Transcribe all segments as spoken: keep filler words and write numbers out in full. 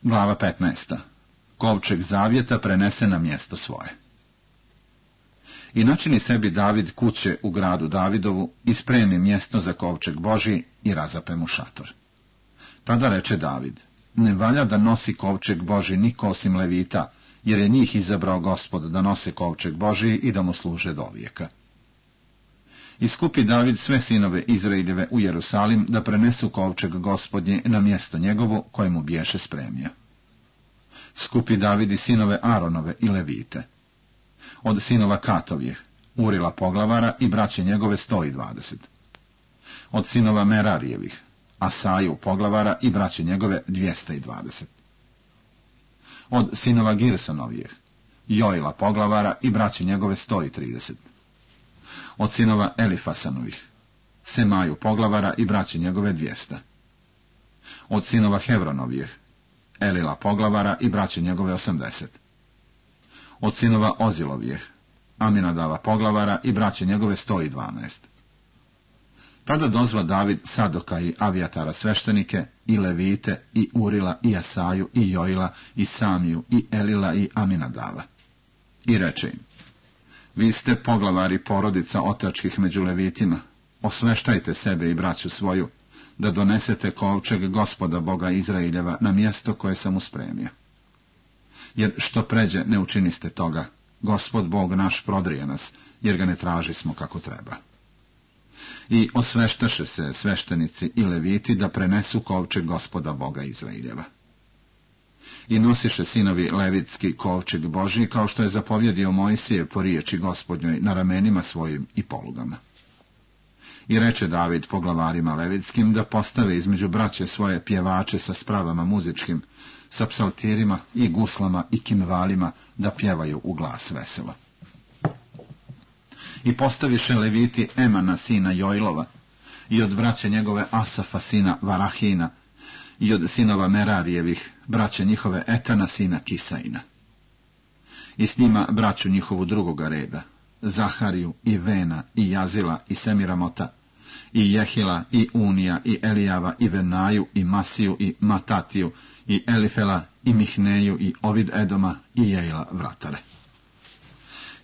Glava petnaesta. Kovčeg zavjeta prenese na mjesto svoje. I načini sebi David kuće u gradu Davidovu i spremi mjesto za kovčeg Božji i razape mu šator. Tada reče David, ne valja da nosi kovčeg Božji niko osim Levita, jer je njih izabrao Gospod da nose kovčeg Božji i da mu služe do vijeka. Iskupi David sve sinove Izraeljeve u Jerusalim da prenesu kovčeg Gospodnje na mjesto njegovo koje mu biješe spremio. Skupi David i sinove Aronove i Levite. Od sinova Katovih, Urila poglavara i braće njegove sto i dvadeset. Od sinova Merarijevih, Asaju poglavara i braće njegove dvjesto i dvadeset. Od sinova Girsonovijeh, Joila poglavara i braće njegove sto i trideset. Od sinova Elifasanovih, Semaju poglavara i braće njegove dvjesto. Od sinova Hevronovijeh, Elila poglavara i braće njegove osamdeset. Od sinova Ozilovijeh, Aminadava poglavara i braće njegove sto i dvanaest. Tada dozva David Sadoka i Avijatara sveštenike, i Levite, i Urila, i Asaju, i Joila, i Samiju, i Elila, i Aminadava. I reče im, vi ste poglavari porodica otačkih među Levitima, osveštajte sebe i braću svoju, da donesete kovčeg Gospoda Boga Izraeljeva na mjesto koje sam uspremio. Jer što pređe ne učiniste toga, Gospod Bog naš prodrije nas, jer ga ne tražismo kako treba. I osveštaše se sveštenici i Leviti da prenesu kovčeg Gospoda Boga Izraeljeva. I nosiše sinovi Levitski kovčeg Božji, kao što je zapovjedio Mojsije po riječi Gospodnjoj na ramenima svojim i polugama. I reče David poglavarima Levitskim da postave između braće svoje pjevače sa spravama muzičkim, sa psaltirima i guslama i kimvalima, da pjevaju u glas veselo. I postaviše Leviti Emana sina Joilova, i od braće njegove Asafa sina Varahina, i od sinova Merarijevih, braće njihove Etana sina Kisaina. I s njima braću njihovu drugoga reda, Zahariju i Vena i Jazila i Semiramota, i Jehila i Unija i Elijava i Venaju i Masiju i Matatiju i Elifela i Mihneju i Ovid Edoma i Jejla vratare.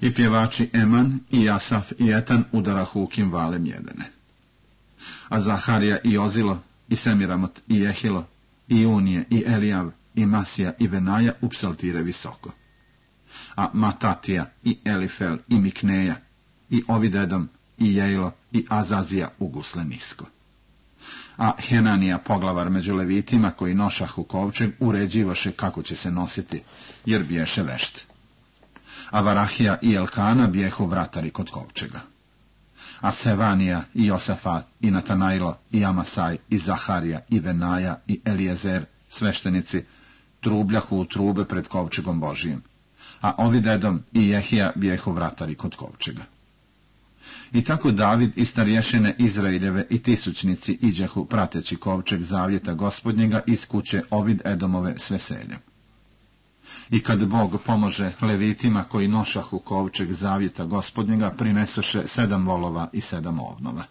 I pjevači Eman i Asaf i Etan udarahu u kimvale mjedene. A Zaharija i Ozilo i Semiramot i Jehilo i Unije i Elijav i Masija i Venaja u psaltire visoko. A Matatija i Elifel i Mikneja i Ovidedom i Jejlo i Azazija u gusle nisko. A Henanija poglavar među Levitima koji nošahu kovčeg uređivaše kako će se nositi, jer biješe vešt. A Varahija i Elkana bijehu vratari kod kovčega. A Sevanija i Josafat i Natanajlo i Amasaj i Zaharija i Venaja i Elijezer, sveštenici, trubljahu u trube pred kovčegom Božijim, a Ovidedom i Jehija bijehu vratari kod kovčega. I tako David i starješine Izraeljeve i tisućnici iđehu prateći kovčeg zavjeta Gospodnjega iz kuće Ovid Edomove s veseljem. I kad Bog pomože Levitima koji nošahu kovčeg zavjeta Gospodnjega, prinesoše sedam volova i sedam ovnova.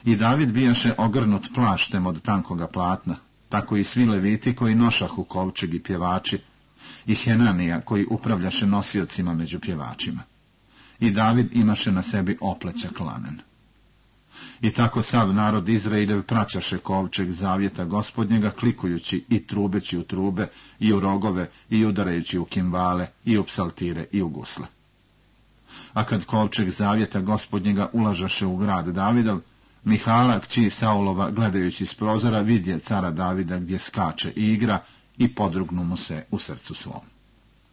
I David bijaše ogrnut plaštem od tankoga platna, tako i svi Leviti koji nošahu kovčeg i pjevači, i Henanija koji upravljaše nosiocima među pjevačima. I David imaše na sebi oplećak lanen. I tako sav narod Izraeljev praćaše kovčeg zavjeta Gospodnjega, klikujući i trubeći u trube, i u rogove, i udarajući u kimvale, i u psaltire, i u gusle. A kad kovčeg zavjeta Gospodnjega ulažaše u grad Davidov, Mihala, kći Saulova, gledajući s prozora, vidje cara Davida gdje skače i igra, i podrugnu mu se u srcu svom.